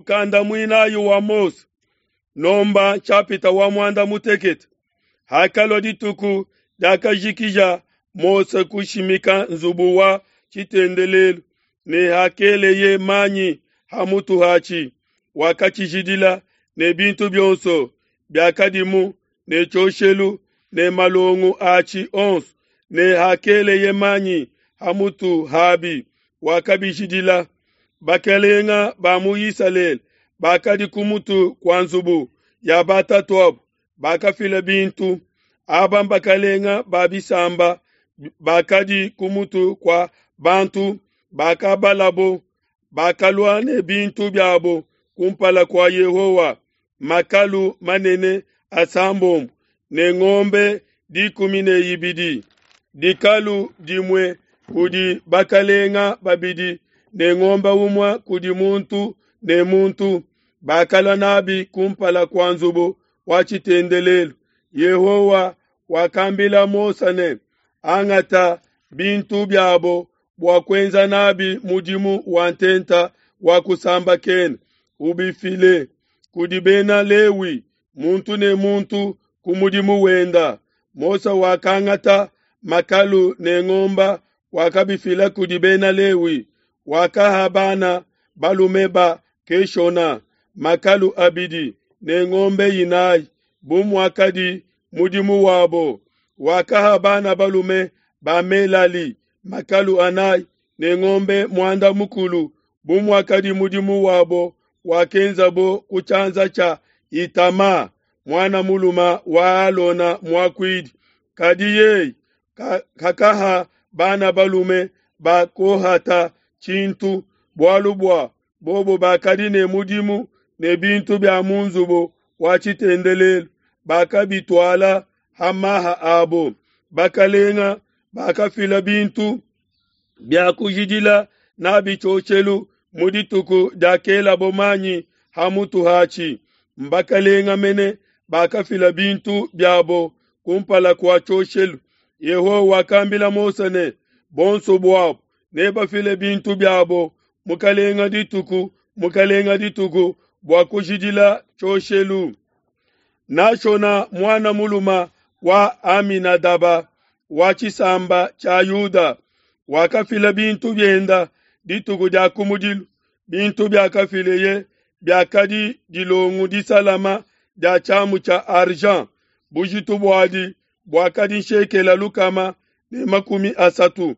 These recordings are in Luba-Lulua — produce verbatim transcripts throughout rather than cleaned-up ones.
Mukanda muinayi wa Mose, nomba nshapita wa muanda mutekete. Hakalua dituku diakajikija Mose kushimika nzubu wa tshitendelelu ne hakeleye manyi ha mutu hatshi, wakatshijidila ne bintu bionso biakadimu ne tshioshelu ne malongo atshi onso, ne hakeleye manyi ha mutu habi, wakabijidila. Bakalenga ba mu Isalele bakadi ku mutu kua nzubu ya batatuabo bakafila bintu. Aba mbakalenga ba bisamba bakadi ku mutu kua bantu bakabalabo, bakalua ne bintu biabo kumpala kua Yehowa, makalu manene asambombo ne ngombe dikumi ne ibidi, dikalu dimue kudi bakalenga babidi ne ngombe umue kudi muntu ne muntu. Bakalua nabi kumpala kua nzubu wa tshitendelelu. Yehowa wakambila Mose ne, angata bintu biabo bua kuenza nabi mudimu wa ntenta wa kusambakena, ubifile kudi bena Lewi, muntu ne muntu ku mudimu wenda. Mose wakangata makalu ne ngomba, wakabifila kudi bena Lewi. Wakaha bana balume ba Keshona makalu abidi ne ngombe inayi, bu muakadi mudimu wabo. Wakaha bana balume ba Melali makalu anayi ne ngombe muanda mukulu, bu muakadi mudimu wabo wakenzabo ku tshianza tshia Itama, muana mulume wa Alona muakuidi. Kadi yeye kakaha bana balume ba Kohata tshintu, bualu bua bobo bakadi ne mudimu ne bintu bia mu nzubu wa tshitendelelu, bakabituala ha maha abo. Bakalenga bakafila bintu bia kujidila nabi tshioshelu mu dituku diakelabo manyi ha mutu hatshi. Mbakalenga mene bakafila bintu biabo kumpala kua tshioshelu. Yehowa wakambila Mose ne, bonso buabo nebafile bintu biabo mukalenga dituku mukalenga dituku bua kujidila tshioshelu. Nashona muana mulume wa Aminadaba wa tshisamba tshia Yuda wakafila bintu bienda dituku dia kumudilu. Bintu biakafileye biakadi dilongu disalama dia tshiamu tshia argent, bujitu buadi buakadi nshekela lukama ne makumi asatu,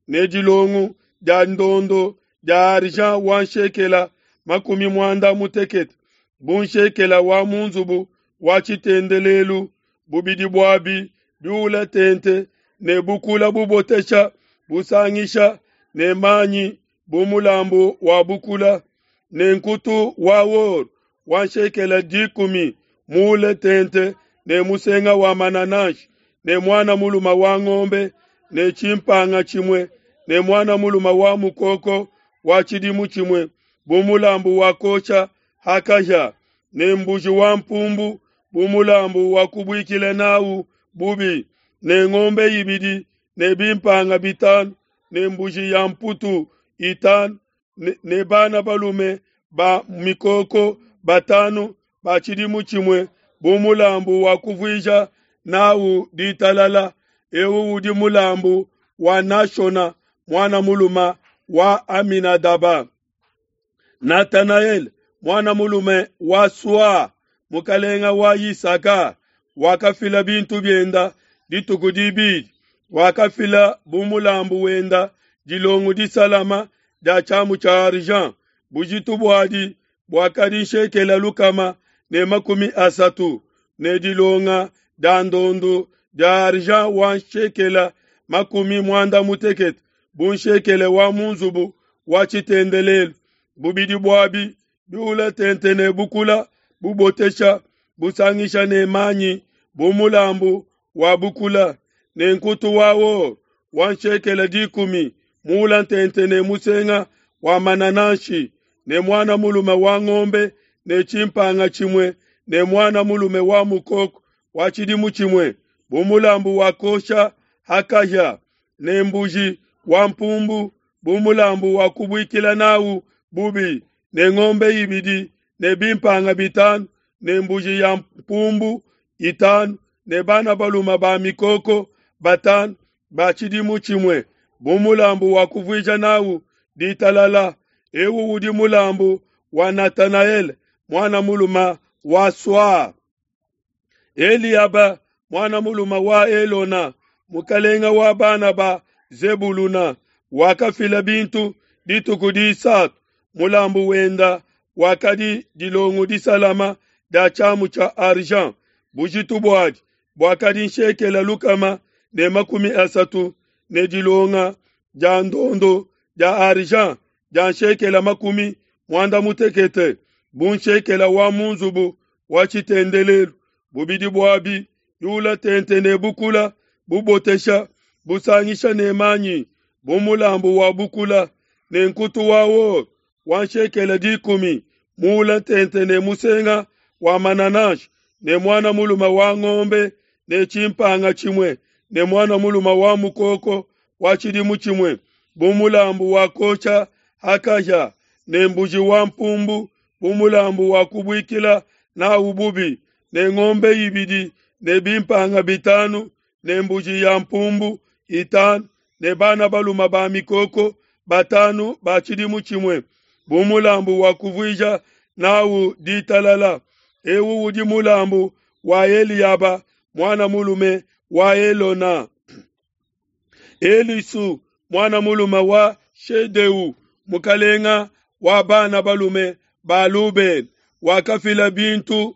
ne dilongu dia ndondo dia argent wa nshekela makumi muanda mutekete, bu nshekela wa mu nzubu wa tshitendelelu, bubidi buabi biula tente ne bukula bubotesha busangisha ne manyi bu mulambu wa bukula, ne nkutu wa or wa nshekela dikumi muule tente ne musenga wa manananshi, ne muana mulume wa ngombe ne tshimpanga tshimue ne muana mulume wa mukoko wa tshidimu tshimue bu mulambu wa kosha ha kahia, ne mbuji wa mpumbu bu mulambu wa kubuikila nawu bubi, ne ngombe ibidi ne bimpanga bitanu ne mbuji ya mputu itanu ne, ne bana balume ba mikoko batanu ba tshidimu tshimue bu mulambu wa kuvuija nawu ditalala. Eu udi mulambu wa Nashona muana mulume wa Aminadaba. Natanaele muana mulume wa Sua, mukalenga wa Yisaka, wakafila bintu bienda dituku dibidi. Wakafila bu mulambu wenda dilongu disalama dia tshiamu tshia argent, bujitu buadi buakadi nshekela lukama ne makumi asatu, ne dilonga dia ndondu dia argent wa nshekela makumi muanda mutekete, bu nshekele wa mu nzubu wa tshitendelelu, bubidi buabi biula tente ne bukula bubotesha busangisha ne manyi bu mulambu wa bukula, ne nkutu wa or wa nshekela dikumi muula ntente ne musenga wa manananshi, ne muana mulume wa ngombe ne tshimpanga tshimue ne muana mulume wa mukoko wa tshidimu tshimue bu mulambu wa kosha ha kahia, ne mbuji wa mpumbu bu mulambu wa kubuikila nawu bubi, ne ngombe ibidi ne bimpanga bitanu ne mbuji ya mpumbu itanu ne bana balume ba mikoko batanu ba tshidimu tshimue bu mulambu wa kuvuija nawu ditalala. Ewu udi mulambu wa Natanaele mwana mulume wa Swa. Eliaba mwana mulume wa Elona mukalenga wa bana ba Zebuluna wakafila bintu dituku disatu. Mulambu wenda wakadi dilongu disalama dia tshiamu tshia argent, bujitu buadi buakadi nshekela lukama ne makumi asatu, ne dilonga dia ndondo dia argent dia nshekela makumi muanda mutekete, bu nshekela wa mu nzubu wa tshitendelelu. Bubidi buabi yula tente ne bukula bubotesha busangisha ne manyi bu mulambu wa bukula, ne nkutu wa or wa nshekela dikumi muula tente ne musenga wa manananshi, ne mwana mulume wa ngombe ne tshimpanga tshimue ne mwana mulume wa mukoko wa tshidimu tshimue bu mulambu wa kosha hakaja, ne mbuji wa mpumbu bu mulambu wa kubuikila nawu bubi, ne ngombe ibidi ne bimpanga bitanu ne mbuji ya mpumbu itanu ne bana balume ba mikoko batanu ba tshidimu tshimue bu mulambu wa kuvuija nawu ditalala. Ewu udi mulambu wa Eliaba mwana mulume wa Elona. Elisu mwana mulume wa Shedeu mukalenga wa bana balume ba Lubeni wakafila bintu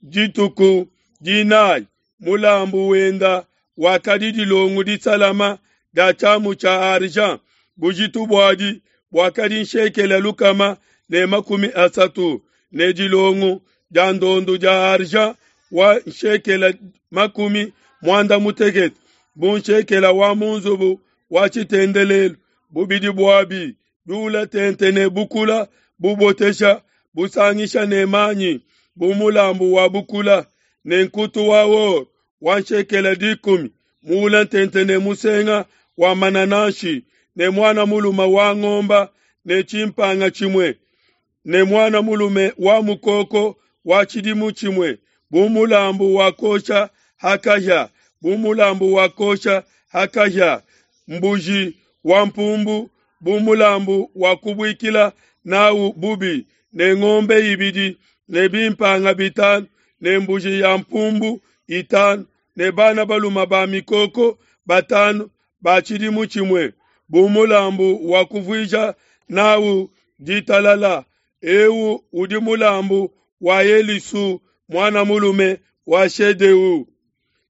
dituku dinayi. Mulambu wenda wakadi dilongu disalama dia tshiamu tshia argent, bujitu buadi buakadi nshekela lukama ne makumi asatu, ne dilongu dia ndondo dia argent wa nshekela makumi muanda mutekete, bu nshekela wa mu nzubu wa tshitendelelu. Bubidi buabi biula tente ne bukula bubotesha busangisha ne manyi bu mulambu wa bukula, ne nkutu wa or wa nshekela dikumi muula tente ne musenga wa manananshi, ne mwana mulume wa ngomba ne tshimpanga tshimue ne mwana mulume wa mukoko wa tshidimu tshimue bu mulambu wa kosha hakahia, bu mulambu wa kosha hakahia, mbuji wa mpumbu bu mulambu wa kubuikila nawu bubi, ne ngombe ibidi ne bimpanga bitanu ne mbuji ya mpumbu itanu ne bana balume ba mikoko batanu ba tshidimu tshimue bu mulambu wa kuvuija nawu ditalala. Ewu udi mulambu wa Elisu mwana mulume wa Shedeu.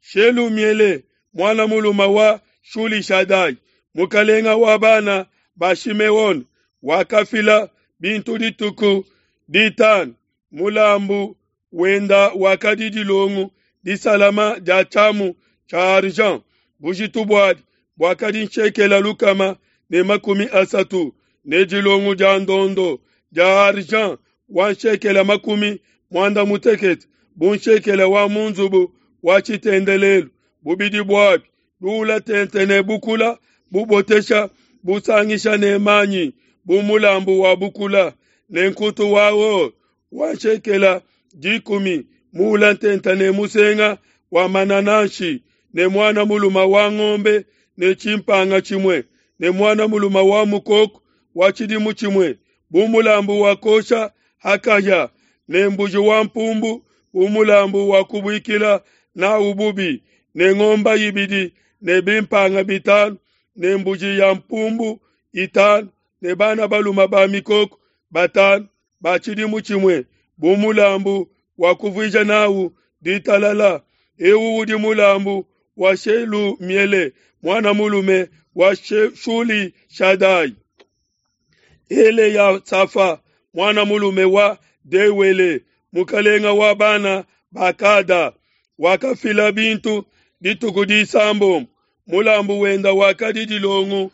Shelumiele mwana mulume wa Shulishadai mukalenga wa bana ba Shimeone wakafila bintu dituku ditanu. Mulambu wenda wakadi dilongu disalama dia tshiamu tshia argent, bujitu buadi buakadi nshekela lukama ne makumi asatu, ne dilongu dia ndondo dia argent wa nshekela makumi muanda mutekete, bu nshekela wa mu nzubu wa tshitendelelu. Bubidi buabi biula tente ne bukula bubotesha busangisha ne manyi bu mulambu wa bukula, ne nkutu wa or wa nshekela dikumi muula tente ne musenga wa manananshi, ne mwana mulume wa ngombe ne tshimpanga tshimue ne mwana mulume wa mukoko wa tshidimu tshimue bu mulambu wa kosha hakahia, ne mbuji wa mpumbu bu mulambu wa kubuikila nawu bubi, ne ngomba ibidi ne bimpanga bitanu ne mbuji ya mpumbu itanu ne bana balume ba mikoko batanu ba tshidimu tshimue bu mulambu wa kuvuija nawu ditalala. Ewu udi mulambu wa Shelumiele mwana mulume wa Shuli Shadai. Ele ya Safa mwana mulume wa Dewele mukalenga wa bana bakada wakafila bintu dituku disambombo. Mulambu wenda wakadi dilongu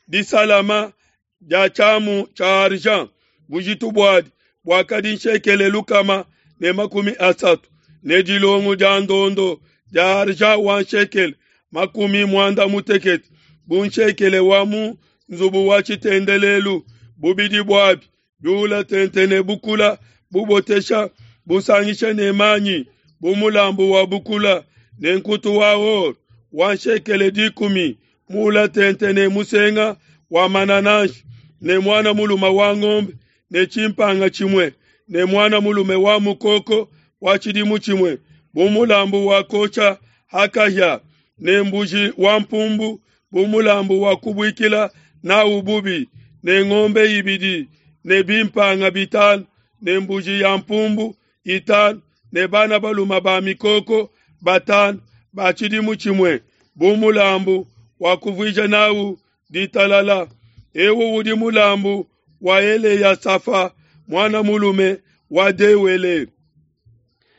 disalama dia tshiamu tshia argent, bujitu buadi buakadi nshekele lukama ne makumi asatu, ne dilongu dia ndondo dia argent wa nshekele makumi muanda mutekete, bu nshekele wa mu nzubu wa tshitendelelu. Bubidi buabi biula tente ne bukula bubotesha busangisha ne manyi bu mulambu wa bukula, ne nkutu wa or wa nshekele dikumi mula tente ne musenga wa manananshi, ne mwana mulume wa ngombe ne chimpanga chimwe ne mwana mulume wa mukoko wa chidimu chimwe bu mulambu wa kocha hakahya, ne mbuji wa mpumbu bu mulambu wa kubuikila nawu bubi, ne ngombe ibidi ne bimpanga bitanu ne mbuji ya mpumbu itanu ne bana baluma ba mikoko batanu ba chidimu chimwe bu mulambu wa kuvuija nawu ditalala. Ewu udi mulambu wa Eleyasafa mwana mulume wa Dewele.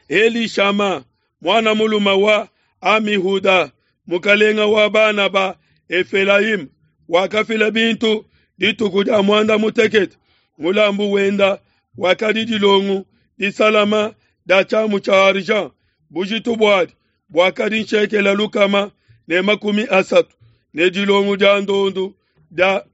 Elishama mwana mulume wa Amihuda mukalenga wa bana ba Efelaim wakafila bintu dituku dia mwanda mutekete. Mulambu wenda wakadi dilongu disalama da chamu cha argent bujitu bwadi bwakadi nshekela lukama ne makumi asatu, ne dilongu dia ndondu da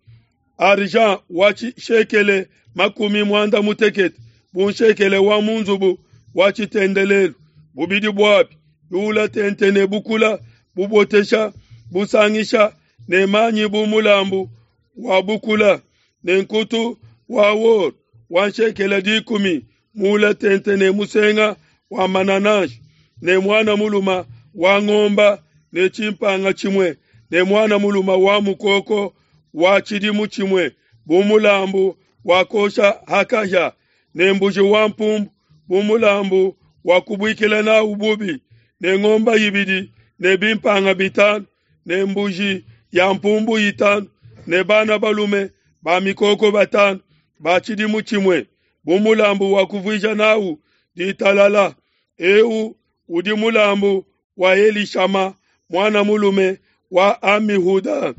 argent wa shekele makumi mwanda mutekete bu nshekele wa munzubu wa chitendelelu. Bubidi bwapi biula tente ne bukula bubotesha busangisha ne manyi bu mulambu wa bukula, ne nkutu wa wor wa nshekele dikumi mula tente ne musenga wa manananshi, ne mwana muluma wa ngomba ne chimpanga chimwe ne mwana muluma wa mukoko wa chidimu chimwe bu mulambu wa kosha hakahya, ne mbuji wa mpumbu bu mulambu wa kubuikila nawu bubi, ne ngomba ibidi ne bimpanga bitanu ne mbuji ya mpumbu itanu ne bana balume ba mikoko batanu ba chidimu chimwe bu mulambu wa kuvuija nawu ditalala. Eu udi mulambu wa Elishama mwana mulume wa Amihuda.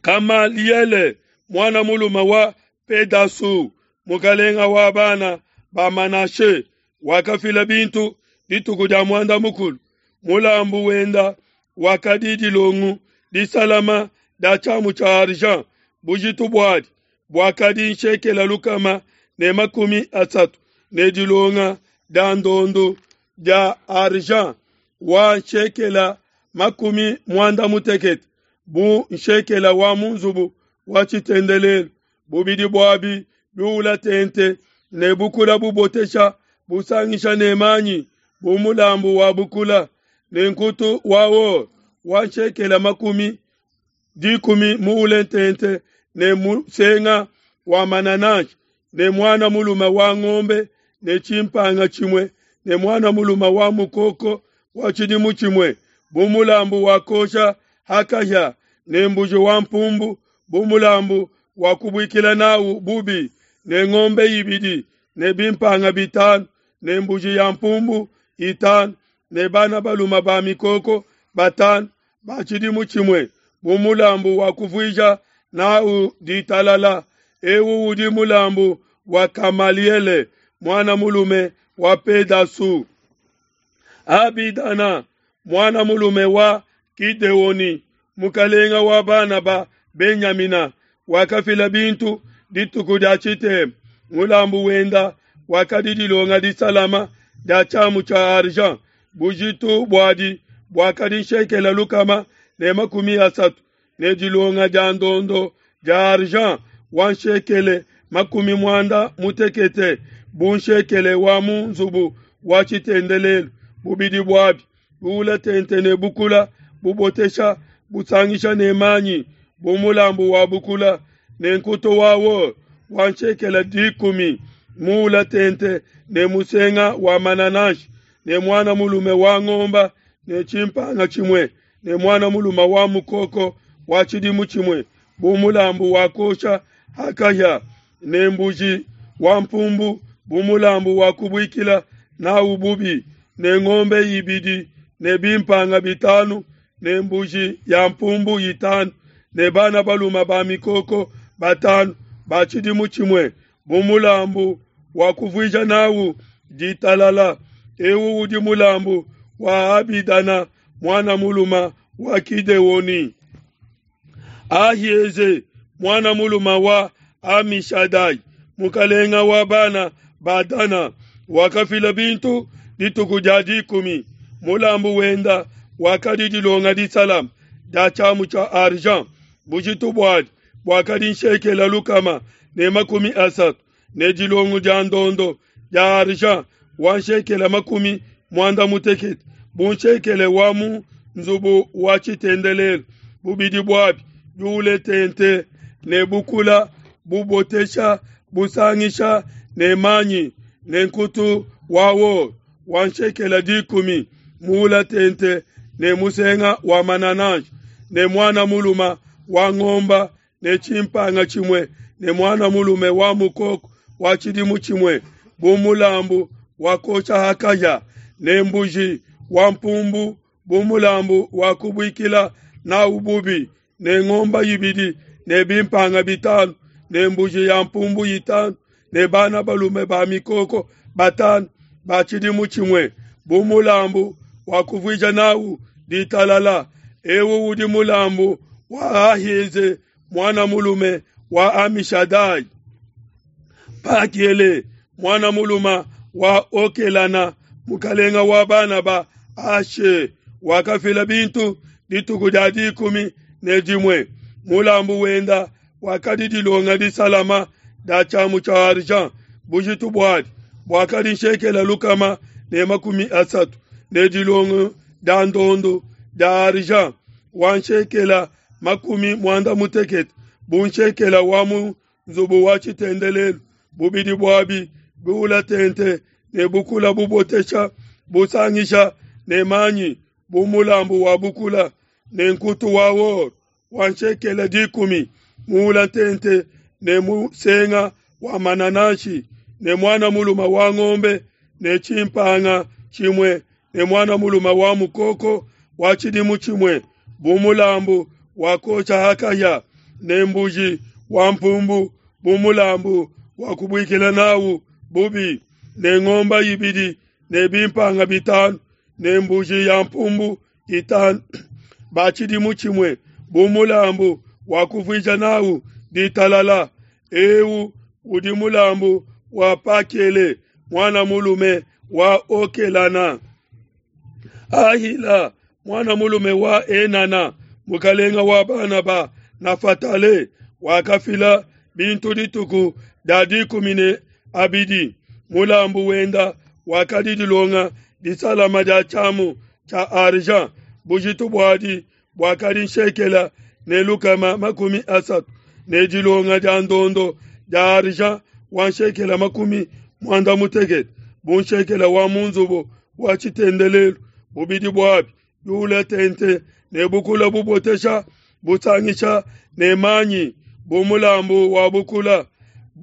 Kamaliele mwana mulume wa Pedasu mukalenga wa bana ba Manashe wakafila bintu dituku dia mwanda mukulu. Mulambu wenda wakadi dilongu disalama da chamu cha argent bujitu bwadi bwakadi nshekela lukama ne makumi asatu, ne dilonga da ndondu dia argent wa nshekela makumi mwanda mutekete bu nshekela wa munzubu wa chitendelelu. Bubidi bwabi biula tente ne bukula bubotesha busangisha ne manyi bu mulambu wa bukula, ne nkutu wa or wa nshekela makumi dikumi muule tente ne musenga wa manananshi, ne mwana mulume wa ngombe ne chimpanga chimwe ne mwana mulume wa mukoko wa chidimu chimwe bu mulambu wa kosha hakahya, ne mbuji wa mpumbu bu mulambu wa kubuikila nawu bubi, ne ngombe ibidi ne bimpanga bitanu ne mbuji ya mpumbu itanu ne bana baluma ba mikoko batanu ba chidimu chimwe bu mulambu wa kuvuija nawu ditalala. Ewu udi mulambu wa Kamaliele mwana mulume wa Pedasu. Abidana mwana mulume wa Kideoni mukalenga wa bana ba Benyamina wakafila bintu dituku dia chitema. Mulambu wenda wakadi dilonga disalama dia chamu cha argent bujitu bwadi bwakadi nshekela lukama ne makumi asatu, ne dilonga dia ndondo dia argent wa nshekele makumi mwanda mutekete bu nshekele wa mu nzubu wa chitendelelu. Bubidi bwabi buula tente ne bukula bubotesha busangisha ne manyi bu mulambu wa bukula, ne nkutu wa wor wa nshekele dikumi muula tente ne musenga wa manananshi, ne mwana mulume wa ngomba ne chimpanga chimwe ne mwana mulume wa mukoko wa chidimu chimwe bu mulambu wa kosha hakahya, ne mbuji wa mpumbu bu mulambu wa kubuikila nawu bubi, ne ngombe ibidi ne bimpanga bitanu ne mbuji ya mpumbu itanu ne bana baluma ba mikoko batanu ba chidimu chimwe bu mulambu wa kuvuija nawu ditalala. Ewu udi mulambu wa Abidana mwana muluma wa Kideoni. Ahieze mwana muluma wa Amishadai mukalenga wa bana ba Dana, wakafila bintu dituku dia dikumi. Mulambu wenda wakadi dilonga disalama dia tshiamu tshia argent, bujitu buadi buakadi nshekela lukama ne makumi asatu, ne dilongo dia ndondo dia argent wa nshekela makumi muanda mutekete, bu nshekele wa mu nzubu wa tshitendelelu, bubidi buabi biule tente ne bukula bubotesha busangisha ne manyi, ne nkutu wa or wa nshekela dikumi muula tente ne musenga wa manananshi, ne mwana muluma wa ngomba ne tshimpanga tshimue, ne mwana mulume wa mukoko wa tshidimu tshimue, bu mulambu wa kosha hakaya, ne mbuji wa mpumbu bu mulambu wa kubuikila nawu bubi, ne ngomba ibidi ne bimpanga bitanu, ne mbuji ya mpumbu itanu, ne bana balume ba mikoko batanu ba tshidimu tshimue, bu mulambu wa kuvuija nawu ditalala. Ewu udi mulambu wa Ahieze mwana mulume wa Amishadai. Pakiele mwana muluma wa Okelana mukalenga wa bana ba Ashe wakafila bintu dituku dia dikumi ne dimue. Mulambu wenda wakadi dilonga disalama dia tshiamu tshia argent, bujitu buadi buakadi nshekela lukama ne makumi asatu, ne dilongo dia ndondo dia argent wa nshekela makumi muanda mutekete, bu nshekela wa mu nzubu wa tshitendelelu, bubidi buabi biula tente ne bukula bubotesha busangisha ne manyi, bu mulambu wa bukula, ne nkutu wa or wa nshekela dikumi muula tente ne musenga wa manananshi, ne mwana muluma wa ngombe ne tshimpanga tshimue, ne mwana muluma wa mukoko wa tshidimu tshimue, bu mulambu wa kosha hakaya, ne mbuji wa mpumbu bu mulambu wa kubuikila nawu bubi, ne ngomba ibidi ne bimpanga bitanu, ne mbuji ya mpumbu itanu ba tshidimu tshimue, bu mulambu wa kuvuija nawu ditalala. Ewu udi mulambu wa Pakele mwana mulume wa Okelana. Ahila mwana mulume wa Enana mukalenga wa bana ba Nafatale wakafila bintu dituku dia dikumi ne abidi. Mulambu wenda wakadi dilonga disalama dia tshiamu tshia argent, bujitu buadi buakadi nshekela ne lukama makumi asatu, ne dilonga dia ndondo dia argent wa nshekela makumi muanda mutekete, bu nshekela wa mu nzubu wa tshitendelelu, bubidi buabi biule tente ne bukula bubotesha busangisha ne manyi, bu mulambu wa bukula,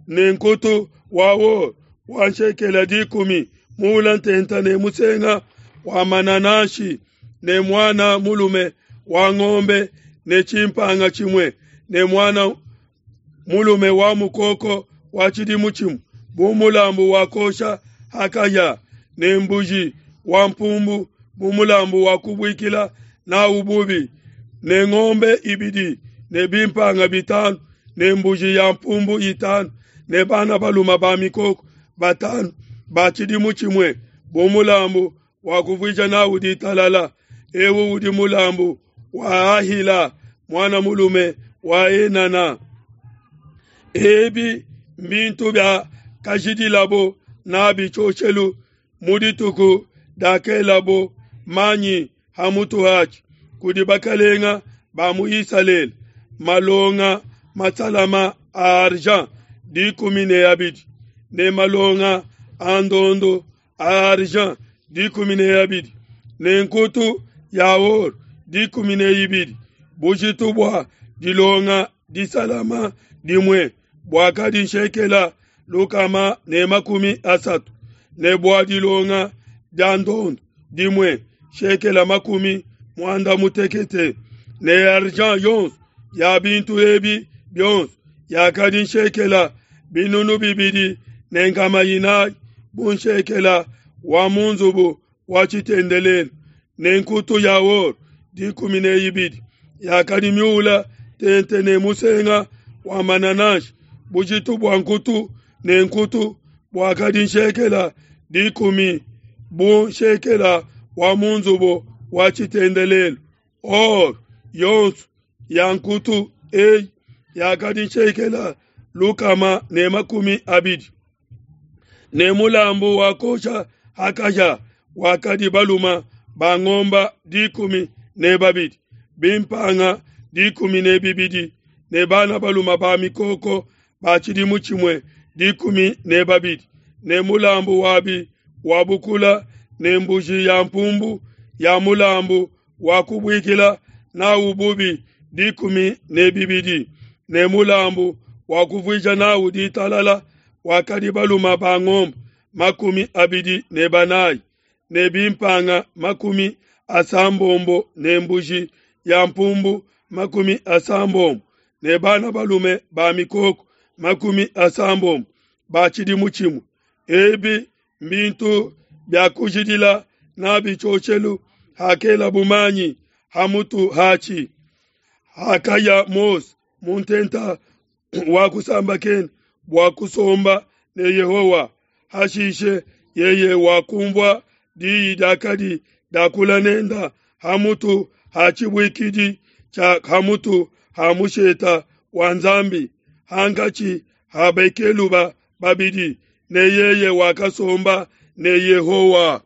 ne nkutu wa or wa nshekela dikumi muula ntenta ne musenga wa manananshi, ne mwana mulume wa ngombe ne tshimpanga tshimue, ne mwana mulume wa mukoko wa tshidimu tshimue, bu mulambu wa kosha hakaya, ne mbuji wa mpumbu bu mulambu wa kubuikila nawu bubi, ne ngombe ibidi ne bimpanga bitanu, ne mbuji ya mpumbu itanu, ne bana baluma ba mikoko batanu ba tshidimu tshimue, bu mulambu wa kuvuija nawu ditalala. Ewu udi mulambu wa Ahila mwana mulume wa Enana. Ebi mbintu bia kajidilabo nabi tshioshelu mu dituku dakelabo manyi hamutu hatshi kudi bakalenga ba mu Isalele, malonga masalama a argent dikumi ne abidi, ne malonga a ndondo a argent dikumi ne abidi, ne nkutu ya or dikumi ne ibidi. Bujitu bua dilonga disalama dimue buakadi nshekela lukama ne makumi asatu, ne bua dilonga dia ndondo dimue shekela makumi muanda mutekete, ne argent yonso ya bintu ebi bionso yakadi nshekela binunu bibidi ne nkama inayi, bu nshekela wa mu nzubu wa tshitendelelu, ne nkutu ya or dikumi ne ibidi yakadi miula tente ne musenga wa manananshi, bujitu bua nkutu ne nkutu buakadi nshekela dikumi bu nshekela wa mu nzubu wa tshitendelelu. Or yonso ya nkutu eyi yakadi nshekela lukama ne makumi abidi. Ne mulambu wa kosha ha kahia wakadi balume ba ngombe dikumi ne babidi, bimpanga dikumi ne bibidi, ne bana balume ba mikoko ba tshidimu tshimue dikumi ne babidi, ne mulambu wabi wa bukula ne mbuji ya mpumbu ya mulambu wa kubuikila nawu bubi dikumi ne bibidi, ne mulambu wa kuvuija nawu ditalala wakadi balume ba ngombe makumi abidi ne banayi, ne bimpanga makumi asambombo ne mbuji ya mpumbu makumi asambombo, ne bana balume ba mikoko makumi asambombo ba tshidimu tshimue. Ebi mbintu bia kujidila nabi tshioshelu hakelabu manyi ha mutu hatshi. Hakaya Mose mu ntenta wa kusambakena bua kusomba ne Yehowa, hashishe yeye wakumvua diyi diakadi diakula nenda ha mutu ha tshibuikidi tshia ha mutu ha musheta wa Nzambi hankatshi ha bakeluba babidi, ne yeye wakasomba ne Yehowa.